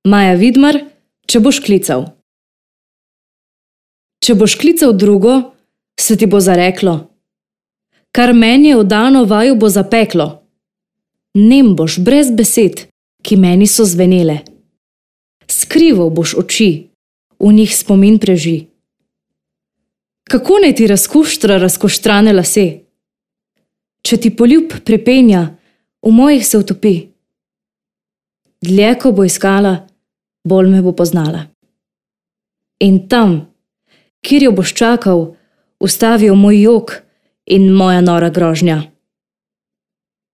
Maja Vidmar, če boš klical. Če boš klical drugo, se ti bo zareklo. Kar meni je vdano, vaju bo zapeklo. Nem boš brez besed, ki meni so zvenele. Skrival boš oči, v njih spomin preži. Kako naj ti razkuštra razkoštrane lase? Če ti poljub pripenja, v mojih se utopi. Dlje, ko bo iskala, bolj me bo poznala. In tam, kjer jo boš čakal, ustavijo moj jok in moja nora grožnja.